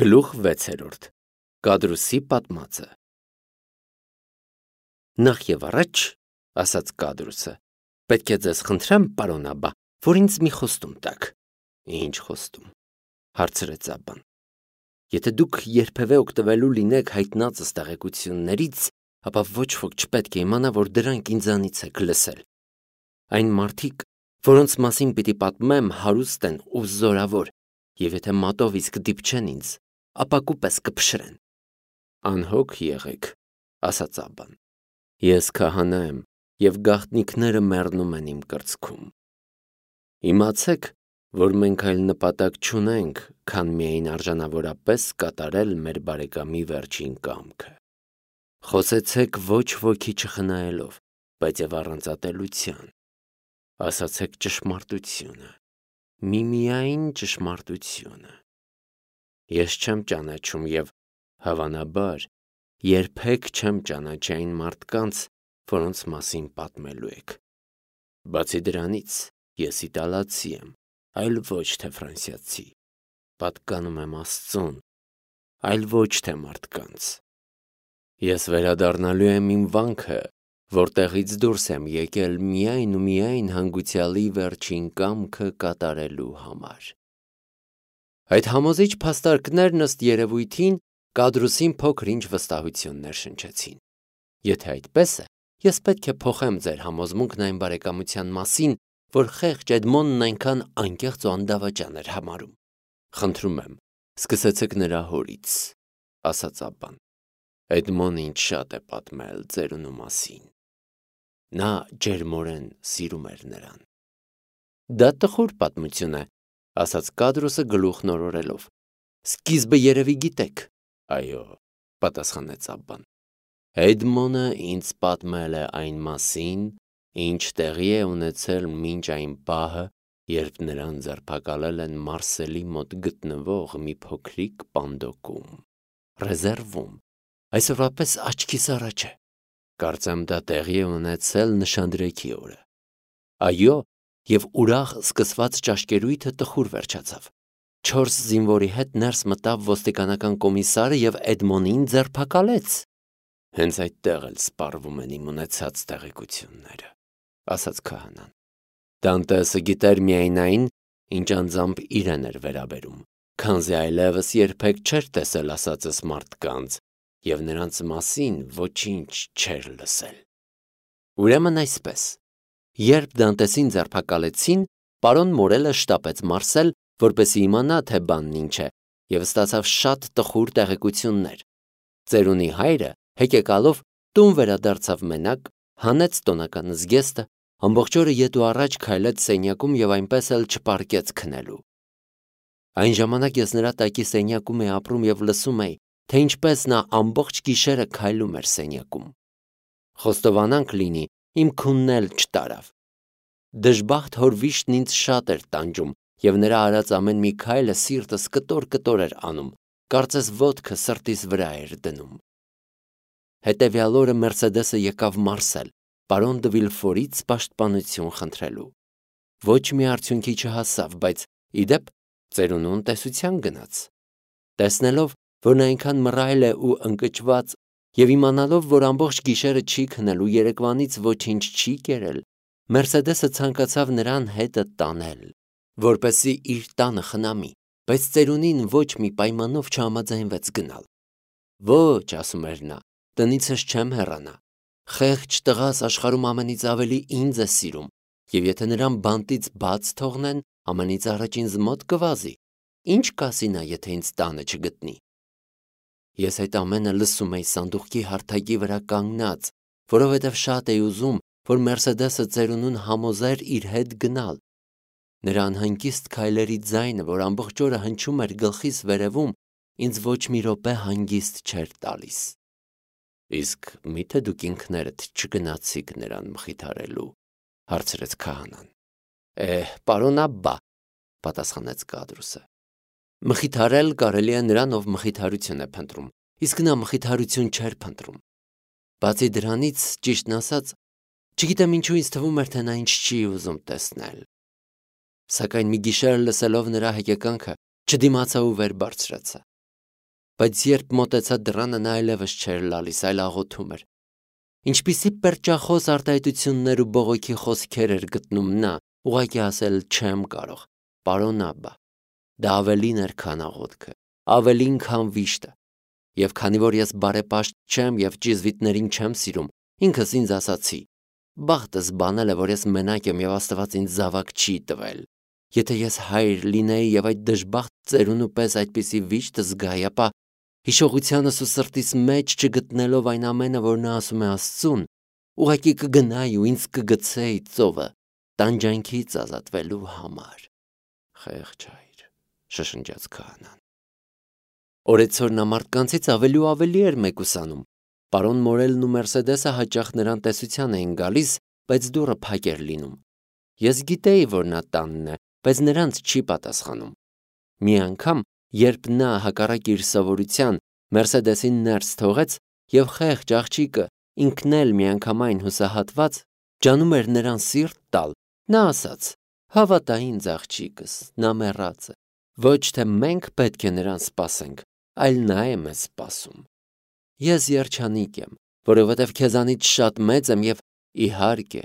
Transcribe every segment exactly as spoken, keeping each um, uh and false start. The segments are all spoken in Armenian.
Գլուխ վեցերորդ Կադրուսի պատմածը Նախ եւ առաջ, ասաց Կադրուսը, պետք է ձեզ խնդրեմ, պարոն Աբբա, որ ինձ մի խոստում տաք։ Ինչ խոստում, հարցրեց Աբբան։ Եթե դուք երբևէ օգտվելու լինեք հայտնածս տեղեկություններից, ապա ոչ ոք չպետք է իմանա, որ դրանք ինձանից եք լսել։ Այն մարդիկ, որոնց մասին պիտի պատմեմ, հարուստ են ու զորավոր, եւ եթե մատով իսկ դիպչեն ինձ, ապա կուպես կփշրեն։ Անհոգ եղեք, ասաց Աբբան։ Ես քահանա եմ, եւ գաղտնիքները մեռնում են իմ կրծքում։ Իմացեք, որ մենք այլ նպատակ չունենք, քան միայն արժանավորապես կատարել մեր բարեկամի վերջին կամքը։ Խոսեցեք ոչ ոքի չխնայելով, բայց եւ առանց ատելության։ Ասացեք ճշմարտությունը, միմիայն ճշմարտությունը։ Ես չեմ ճանաչում եւ, հավանաբար, երբեք չեմ ճանաչի այն մարդկանց, որոնց մասին պատմելու եք։ Բացի դրանից, ես իտալացի եմ, այլ ոչ թե ֆրանսիացի։ Պատկանում եմ Աստծուն, այլ ոչ թե մարդկանց։ Ես վերադառնալու եմ իմ վանքը, որտեղից դուրս եմ եկել միայն ու միայն հանգուցյալի վերջին կամքը կատարելու համար։ Այդ համոզիչ փաստարկներն ըստ երևույթին Կադրուսին փոքր-ինչ վստահություններ շնչեցին։ Եթե այդպես է, ես պետք է փոխեմ ձեր համոզմունքն այն բարեկամության մասին, որ խեղճ Էդմոնն այնքան անկեղծ ու անդավաճան էր համարում։ Խնդրում եմ, սկսեցեք նրա հորից, ասաց Աբբան։ Էդմոնը ինձ շատ է պատմել ծերունու մասին։ Նա ջերմորեն սիրում էր նրան։ Դա տխուր պատմություն է, ասաց Կադրուսը գլուխն օրորելով։ Սկիզբը երևի գիտեք։ Այո, պատասխանեց Աբբան։ Էդմոնը ինձ պատմել է այն մասին, ինչ տեղի է ունեցել մինչ այն պահը, երբ նրան ձերբակալել են Մարսելի մոտ գտնվող մի փոքրիկ պանդոկում, ռեզերվում, այսօրվա պես աչքիս առաջ է։ Կարծեմ դա տեղի է ունեցել նշանդրեքի օրը։ Այո, եւ ուրախ սկսված ճաշկերույթը տխուր վերջացավ։ Չորս զինվորի հետ ներս մտավ ոստիկանական կոմիսարը եւ Էդմոնին ձերբակալեց։ Հենց այդտեղ էլ սպառվում են իմ ունեցած տեղեկությունները, ասաց քահանան։ Դանտեսը գիտեր միայն այն, ինչ անձամբ իրեն էր վերաբերում, քանզի այլևս երբեք չէր տեսել ասածս մարդկանց եւ նրանց մասին ոչինչ չէր լսել։ Ուրեմն այսպես, երբ Դանտեսին ձերբակալեցին, պարոն Մորելը շտապեց Մարսել, որպեսզի իմանա, թե բանն ինչ է, եւ ստացավ շատ տխուր տեղեկություններ։ Ծերունի հայրը, հեկեկալով, տուն վերադարձավ մենակ, հանեց տոնական զգեստը, ամբողջ օրը ետ ու առաջ քայլեց սենյակում եւ այնպես էլ չպարկեց քնելու։ Այն ժամանակ ես նրա տակի սենյակում էի ապրում եւ լսում էի, թե ինչպես նա ամբողջ գիշերը քայլում էր սենյակում։ Խոստովանանք լինի, իմ քունն էլ չտարավ։ Դժբախտ հոր վիշտն ինձ շատ էր տանջում եւ նրա արած ամեն մի քայլը սիրտս կտոր-կտոր էր անում, կարծես ոտքը սրտիս վրա էր դնում։ Հետևյալ օրը Մերսեդեսը եկավ Մարսել, պարոն դը Վիլֆորից պաշտպանություն խնդրելու։ Ոչ մի արդյունքի չհասավ, բայց իդեպ ծերունուն տեսության գնաց։ Տեսնելով, որ նա այնքան մռայլ է ու ընկճված, եւ իմանալով, որ ամբողջ գիշերը չի քնելու, երեկվանից ոչինչ չի կերել, Մերսեդեսը ցանկացավ նրան հետը տանել, որպեսզի իր տանը խնամի, բայց ծերունին ոչ մի պայմանով չհամաձայնվեց գնալ։ Ոչ, ասում էր նա, տնիցս չեմ հեռանա։ Խեղճ տղաս աշխարհում ամենից ավելի ինձ է սիրում, եւ եթե նրան բանտից բաց թողնեն, ամենից առաջ ինձ մոտ կվազի։ Ինչ կասի նա, եթե ինձ տանը չգտնի։ Ես այդ ամենը լսում էի սանդուղքի հարթակի վրա կանգնած, որովհետև շատ էի ուզում, որ Մերսեդեսը ծերունուն համոզեր իր հետ գնալ։ Նրա անհանգիստ քայլերի ձայնը, որ ամբողջ օրը հնչում էր գլխիս վերևում, ինձ ոչ մի րոպե հանգիստ չէր տալիս։ Իսկ մի՞թե դուք ինքներդ չգնացիք նրան մխիթարելու, հարցրեց քահանան։ Էհ, պարոն Աբբա, պատասխանեց Կադրուսը։ Մխիթարել կարելի է նրան, ով մխիթարություն է փնտրում, իսկ նա մխիթարություն չէր փնտրում։ Բացի դրանից, ճիշտն ասած, չգիտեմ ինչու ինձ թվում էր, թե նա ինչ չի ուզում տեսնել։ Սակայն մի գիշեր լսելով նրա հեկեկանքը, չդիմացա ու վեր բարձրացա։ բայց երբ մոտեցա դռանը, նա այլևս չէր լալիս, այլ աղոթում էր։ Ինչպիսի պերճախոս արտահայտություններ ու բողոքի խոսքեր էր գտնում նա, ուղղակի ասել չեմ կարող, պարոն Աբբա, դա ավելին էր, քան աղոթքը, ավելին, քան վիշտը։ Եվ քանի որ ես բարեպաշտ չեմ եւ ճիզվիտներին չեմ սիրում, ինքս ինձ ասացի. բախտս բանել է, որ ես մենակ եմ եւ Աստված ինձ զավակ չի տվել։ Եթե ես հայր լինեի եւ այդ դժբախտ ծերունու պես այդպիսի վիշտ զգայի, ապա հիշողությանս ու սրտիս մեջ չգտնելով այն ամենը, որ նա ասում է Աստծուն, ուղղակի կգնայի ու ինձ կգցեի ծովը տանջանքից ազատվելու համար։ Խեղճ հայր, շշնջաց քահանան։ Օրեցօր նա մարդկանցից ավելի ու ավելի էր մեկուսանում։ Պարոն Մորելն ու Մերսեդեսը հաճախ նրան տեսության էին գալիս, բայց դուռը փակ էր լինում։ Ես գիտեի, որ նա տանն է, բայց նրանց չի պատասխանում։ Մի անգամ, երբ նա հակառակ իր սովորության Մերսեդեսին ներս թողեց եւ խեղճ աղջիկը ինքն էլ միանգամայն հուսահատված ջանում էր նրան սիրտ տալ, նա ասաց. հավատա ինձ աղջիկս, նա մեռած է։ Ոչ թե մենք պետք է նրան սպասենք, այլ նա է մեզ սպասում։ Ես երջանիկ եմ, որովհետև քեզանից շատ մեծ եմ եւ իհարկե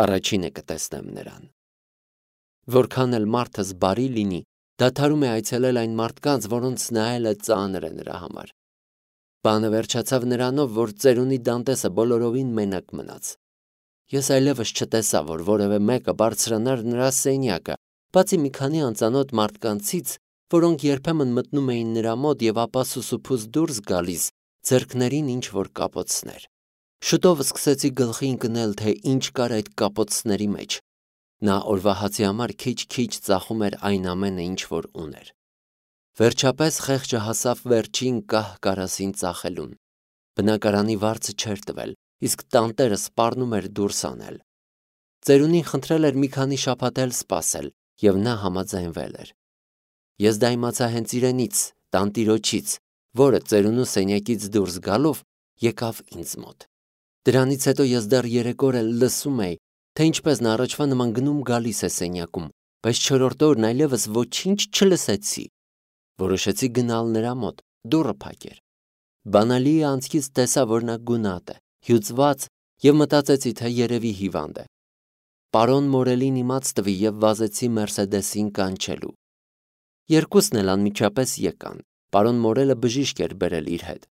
առաջինը կտեսնեմ նրան։ Որքան էլ մարդս բարի լինի, դադարում է այցելել այն մարդկանց, որոնց նայելը ծանր է նրա համար։ Բանը վերջացավ նրանով, որ ծերունի Դանտեսը բոլորովին մենակ մնաց։ Ես այլևս չտեսա, որ որևէ մեկը բարձրանար նրա սենյակը, բացի մի քանի անծանոթ մարդկանցից, որոնք երբեմն մտնում էին նրա մոտ եւ ապա սուսուփուս դուրս գալիս, ձեռքներին ինչ որ կապոցներ։ Շուտով սկսեցի գլխի ընկնել, թե ինչ կար այդ կապոցների մեջ։ Նա օրվա հացի համար քիչ-քիչ ծախում էր այն ամենը, ինչ որ ուներ։ Վերջապես խեղճը հասավ վերջին կահ կարասին ծախելուն։ Բնակարանի վարձը չէր տվել, իսկ տանտերը սպառնում էր դուրս անել։ Ծերունին խնդրել էր մի քանի շաբաթ էլ սպասել, եւ նա համաձայնվել էր։ Ես դա իմացա հենց իրենից, տանտիրոջից, որը ծերունու սենյակից դուրս գալով եկավ ինձ մոտ։ Դրանից հետո ես դեռ երեք օր էլ լսում էի, թե ինչպես նա առաջվա նման գնում գալիս է սենյակում, բայց չորրորդ օրն այլևս ոչինչ չլսեցի։ Որոշեցի գնալ նրա մոտ, դուռը փակ էր։ Բանալի անցքից տեսա, որ նա գունատ է, հյուծված եւ մտածեցի, թե երևի հիվանդ է։ Պարոն Մորելին իմաց տվի եւ վազեցի Մերսեդեսին կանչելու։ Երկուսն էլ անմիջապես եկան։ Պարոն Մորելը բժիշկ էր բերել իր հետ։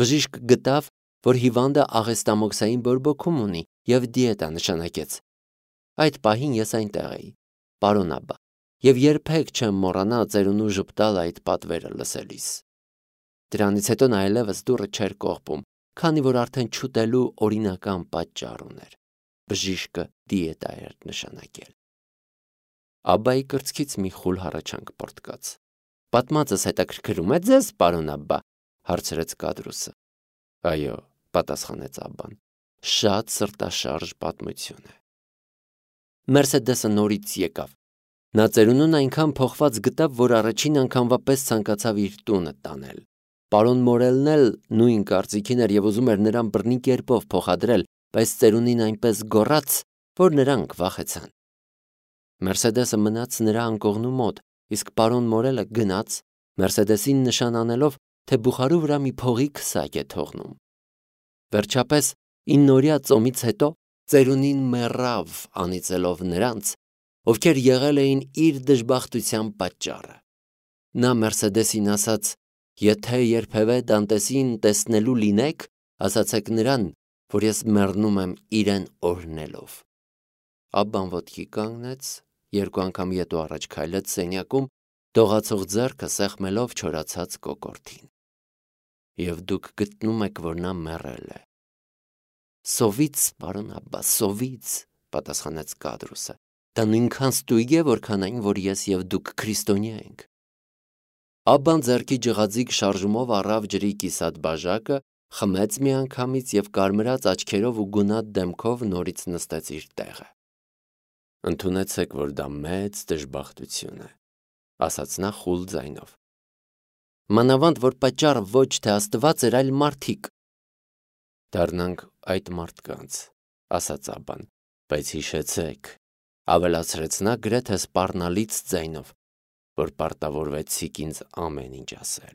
Բժիշկ գտավ, որ հիվանդը աղեստամոքսային բորբոքում ունի եւ դիետա նշանակեց։ Այդ պահին ես այնտեղ էի, պարոն Աբբա, եւ երբեք չեմ մոռանա ծերունու ժպտալ այդ պատվերը լսելիս։ Դրանից հետո նա այլևս դուռը չէր կողպում, քանի որ արդեն չուտելու օրինական պատճառ ուներ։ Բժիշկը դիետա էր նշանակել։ Աբբայի կրծքից մի խուլ հառաչանք պոռթկաց։ Պատմածս հետաքրքրում է ձեզ, պարոն Աբբա, հարցրեց Կադրուսը։ Այո, պատասխանեց Աբբան, շատ սրտաշարժ պատմություն է։ Մերսեդեսը նորից եկավ։ Նա ծերունուն այնքան փոխված գտավ, որ առաջին անգամվա պես ցանկացավ իր տունը տանել։ Պարոն Մորելն էլ նույն կարծիքին էր եւ ուզում էր նրան բռնի կերպով փոխադրել, բայց ծերունին այնպես գոռաց, որ նրանք վախեցան։ Մերսեդեսը մնաց նրա անկողնու մոտ, իսկ պարոն Մորելը գնաց, Մերսեդեսին նշան անելով, թե բուխարու վրա մի փողի քսակ է թողնում։ Վերջապես, իննօրյա ծոմից հետո ծերունին մեռավ, անիծելով նրանց, ովքեր եղել էին իր դժբախտության պատճառը։ Նա Մերսեդեսին ասաց. եթե երբևէ Դանտեսին տեսնելու լինեք, ասացեք նրան, որ ես մեռնում եմ իրեն օրհնելով։ Աբբան ոտքի կանգնեց, երկու անգամ ետո առաջ քայլեց սենյակում, դողացող ձեռքը սեղմելով չորացած կոկորդին։ Եվ դուք գտնում եք, որ նա մեռել է։ Սովից, պարոն Աբբա, սովից, պատասխանեց Կադրուսը։ Դա նույնքան ստույգ է, որքան այն, որ ես եւ դուք քրիստոնյա ենք։ Աբբան ձեռքի ջղաձիգ շարժումով առավ ջրի կիսատ բաժակը, խմեց միանգամից եւ կարմրած աչքերով ու գունատ դեմքով նորից նստեց իր տեղը։ Ընդունեցեք, որ դա մեծ դժբախտություն է, ասաց նա խուլ ձայնով։ Մանավանդ, որ պատճառը ոչ թե Աստված էր, այլ մարդիկ։ Դառնանք այդ մարդկանց, ասաց Աբբան, բայց հիշեցեք, ավելացրեց նա գրեթե սպառնալից ձայնով, որ պարտավորվեցիք ինձ ամեն ինչ ասել։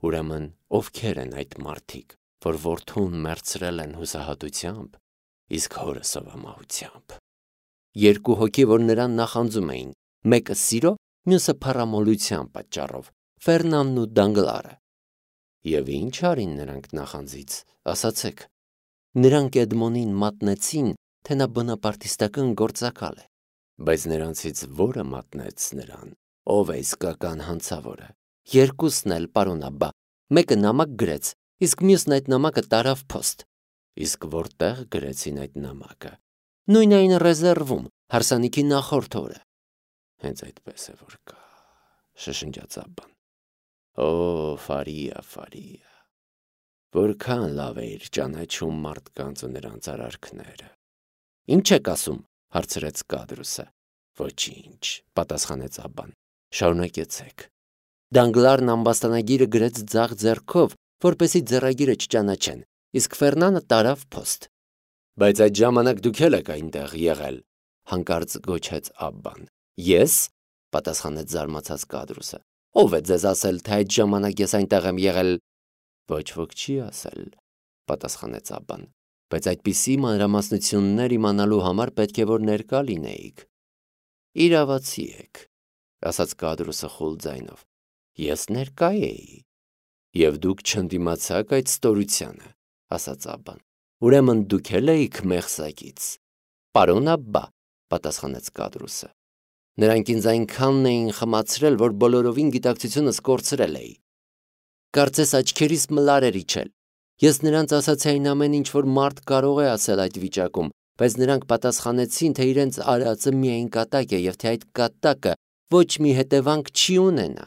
Ուրեմն ովքեր են այդ մարդիկ, որ որդուն մերձրել են հուսահատությամբ, իսկ հորը սովամահությամբ։ Երկու հոգի, որ նրան նախանձում էին, մեկը սիրո, մյուսը փառամոլության պատճառով, Ֆերնանն ու Դանգլարը։ Եվ ինչ արին նրանք նախանձից, ասացեք։ Նրանք Էդմոնին մատնեցին, թե նա բոնապարտիստական գործակալ է, բայց նրանցից որը մատնեց նրան, ով է իսկական հանցավորը։ Երկուսն էլ, պարոն Աբբա, մեկը նամակ գրեց, իսկ մյուսն այդ նամակը տարավ փոստ։ Իսկ որտեղ գրեցին այդ նամակը։ Նույն այն ռեզերվում, հարսանիքի նախորդ օրը։ Հենց այդպես է որ կա, շշնջաց Աբբան։ Օ, Ֆարիա, Ֆարիա, որքան լավ է իր ճանաչում մարդկանց ու նրանց արարքները։ Ինչ եք ասում, հարցրեց Կադրուսը։ Ոչինչ, պատասխանեց Աբբան։ Շարունակեցեք։ Դանգլարն ամբաստանագիրը գրեց ձախ ձեռքով, որպեսզի ձեռագիրը չճանաչեն, իսկ Ֆերնանը տարավ փոստ։ Բայց այդ ժամանակ դուք էլ եք այնտեղ եղել, հանկարծ գոչեց Աբբան։ Ես, պատասխանեց զարմացած Կադրուսը։ Ով է ձեզ ասել, թե այդ ժամանակ ես այնտեղ եմ եղել։ Ոչ ոք չի ասել, պատասխանեց Աբբան, բայց այդպիսի մանրամասնություններ իմանալու համար պետք է որ ներկա լինեիք։ Իրավացի եք, ասաց Կադրուսը խուլ ձայնով։ Ես ներկա էի։ Եվ դուք չընդդիմացաք այդ ստորությանը, ասաց Աբբան։ Ուրեմն դուք էլ էիք մեղսակից։ Պարոն Աբբա, պատասխանեց Կադրուսը։ Նրանք ինձ այնքանն էին խմացրել, որ բոլորովին գիտակցությունս կորցրել էի։ Կարծես աչքերիս մլար էր իջել։ Ես նրանց ասացի այն ամեն ինչ, որ մարդ կարող է ասել այդ վիճակում, բայց նրանք պատասխանեցին, թե իրենց արածը միայն կատակ է եւ թե այդ կատակը ոչ մի հետևանք չի ունենա։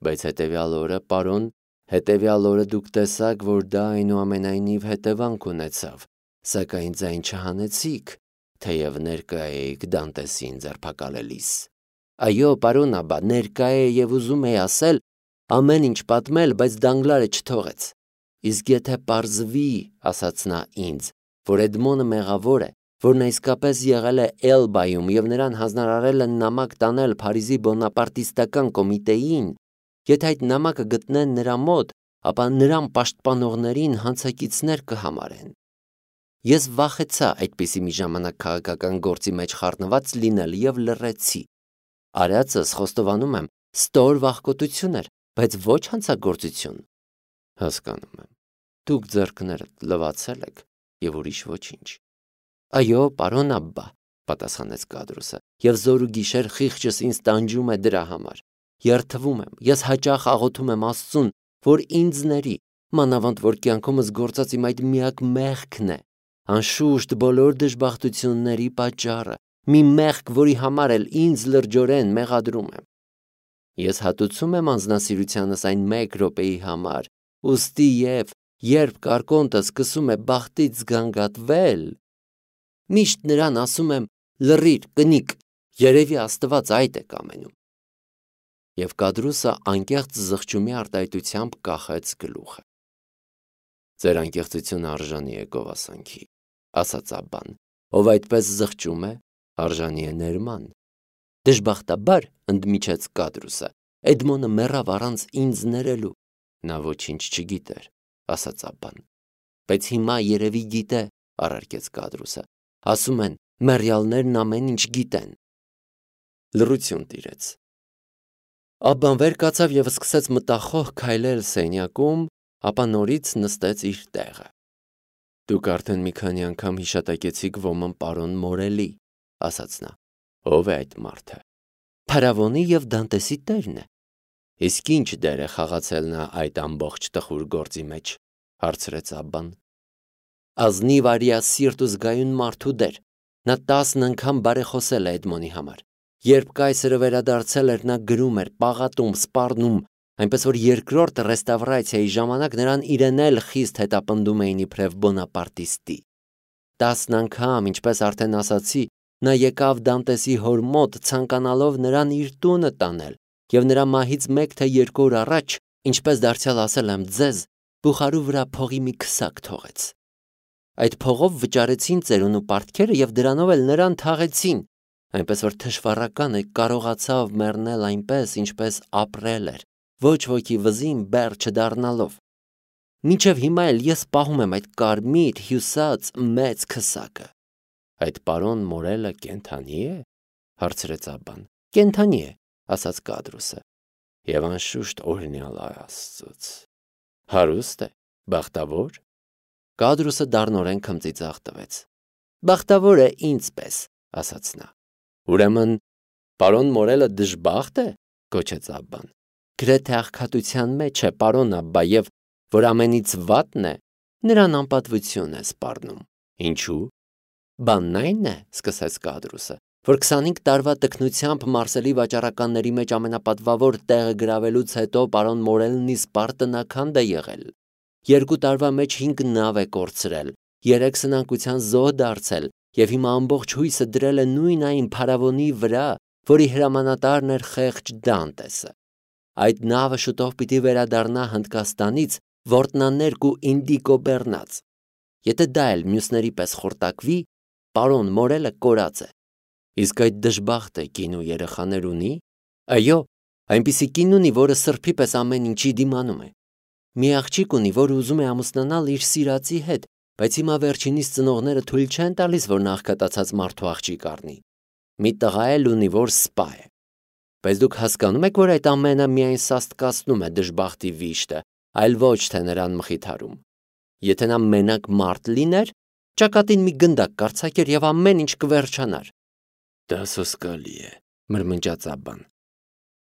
Բայց հետևյալ օրը, պարոն, հետևյալ օրը դուք տեսաք, որ դա այնուամենայնիվ հետևանք ունեցավ, սակայն ձայն չհանեցիք, թեև ներկա էիք Դանտեսին ձերբակալելիս։ Այո, պարոն Աբբա, ներկա է եւ ուզում է ասել ամեն ինչ պատմել, բայց Դանգլարը չթողեց։ Իսկ եթե պարզվի, ասաց նա ինձ, որ Էդմոնը մեղավոր է, որ նա իսկապես եղել է Էլբայում եւ նրան հանձնարարել են նամակ տանել Փարիզի բոնապարտիստական կոմիտեին, եթե այդ նամակը գտնեն նրա մոտ, ապա նրան պաշտպանողներին հանցակիցներ կհամարեն։ Ես վախեցա այդպիսի մի ժամանակ քաղաքական գործի մեջ խառնված լինել եւ լռեցի։ Արածս խոստովանում եմ, ստոր վախկոտություն էր, բայց ոչ հանցագործություն։ Հասկանում եմ։ Դուք ձեռքներդ լվացել եք եւ ուրիշ ոչինչ։ Այո, պարոն Աբբա, պատասխանեց Կադրուսը, եւ զոր ու գիշեր խիղճս ինձ տանջում է դրա համար։ Երթվում եմ, ես հաճախ աղոթում եմ Աստծուն, որ ինձ ների, մանավանդ որ կյանքումս գործած իմ այդ միակ մեղքն է, անշուշտ բոլոր դժբախտությունների պատճառը, մի մեղք, որի համար էլ ինձ լրջորեն մեղադրում եմ։ Ես հատուցում եմ անձնասիրությանս այն մեկ րոպեի համար, ուստի եւ երբ կարկոնտը սկսում է բախտից զգանգատվել, միշտ նրան ասում եմ լռիր, կնիկ, երևի Աստված այդ է կամենում։ Եվ Կադրուսը անկեղծ զղջումի արտահայտությամբ կախեց գլուխը։ Ձեր անկեղծությունը արժանի է գովասանքի, ասաց Աբբան, ով այդպես զղջում է, արժանի է ներման։ Դժբախտաբար, ընդմիջեց Կադրուսը, Էդմոնը մեռավ առանց ինձ ներելու։ Նա ոչինչ չգիտեր, ասաց Աբբան։ Բայց հիմա երևի գիտե, առարկեց Կադրուսը։ Ասում են, մեռյալներն ամեն ինչ գիտեն։ Լռություն տիրեց։ Աբբան վեր կացավ եւ սկսեց մտախոհ քայլել սենյակում, ապա նորից նստեց իր տեղը։ Դուք արդեն մի քանի անգամ հիշատակեցիք ոմն պարոն Մորելի, ասաց նա։ Ով է այդ մարդը։ Փարավոնի եւ Դանտեսի տերն է։ Իսկ ինչ դեր է խաղացել նա այդ ամբողջ տխուր գործի մեջ, հարցրեց Աբբան։ Ազնիվ արիասիրտ ու զգայուն մարդու դեր։ Նա տասն անգամ բարեխոսել է Էդմոնի համար։ Երբ կայսրը վերադարձել էր, նա գրում էր, պաղատում, սպառնում, այնպես որ երկրորդ ռեստավրացիայի ժամանակ նրան իրեն էլ խիստ հետապնդում էին իբրև բոնապարտիստի։ Տասն անգամ, ինչպես արդեն ասացի, նա եկավ Դանտեսի հոր մոտ, ցանկանալով նրան իր տունը տանել, եւ նրա մահից մեկ թե երկու օր առաջ, ինչպես դարձյալ ասել եմ ձեզ, բուխարու վրա փողի մի քսակ թողեց։ Այդ փողով վճարեցին ծերուն ու պարտքերը եւ դրանով էլ նրան թաղեցին, այնպես որ թշվառականը կարողացավ մեռնել այնպես, ինչպես ապրել էր, ոչ ոքի վզին բեռ չդառնալով։ Մինչև հիմա էլ ես պահում եմ այդ կարմիր հյուսած մեծ քսակը։ Այդ պարոն Մորելը կենդանի է, հարցրեց Աբբան։ Կենդանի է, ասաց Կադրուսը։ Եվ անշուշտ օրհնյալ Աստծուց։ Հարուստ է, բախտավոր։ Կադրուսը դառնորեն քմծիծաղ տվեց։ Բախտավոր է ինձպես, ասաց նա։ Ուրեմն պարոն Մորելը դժբախտ է, գոչեց Աբբան։ Գրեթե աղքատության մեջ է, պարոն Աբբա, եւ որ ամենից վատն է, նրան անպատվություն է սպառնում։ Ինչու՞։ Բանն այն է, սկսեց Կադրուսը, որ քսանհինգ տարվա տքնությամբ Մարսելի վաճառականների մեջ ամենապատվավոր տեղը գրավելուց հետո պարոն Մորելն իսպառ տնաքանդ է եղել։ Երկու տարվա մեջ հինգ նավ է կորցրել, երեք սնանկության զոհ դարձել եւ հիմա ամբողջ հույսը դրել է նույն այն փարավոնի վրա, որի հրամանատարն էր խեղճ Դանտեսը։ Այդ նավը շուտով պիտի վերադառնա Հնդկաստանից որտնաներկ ու ինդիկո բեռնած։ Եթե դա էլ մյուսների պես խորտակվի, պարոն Մորելը կորած է։ Իսկ այդ դժբախտը կին ու երեխաներ ունի։ Այո, այնպիսի կին ունի, որը սրբի պես ամեն ինչի դիմանում է։ Մի աղջիկ ունի, որ ուզում է ամուսնանալ իր սիրածի հետ, բայց հիմա վերջինիս ծնողները թույլ չեն տալիս, որ նախկատացած մարդու աղջիկ առնի։ Մի տղա էլ ունի, որ սպա է։ Բայց դուք հասկանում եք, որ այդ ամենը միայն սաստկացնում է դժբախտի վիշտը, այլ ոչ թե նրան մխիթարում։ Եթե նա մենակ մարդ լիներ, ճակատին մի գնդակ կարձակեր եւ ամեն ինչ կվերջանար։ Դա սոսկալի է, մրմնջաց Աբբան։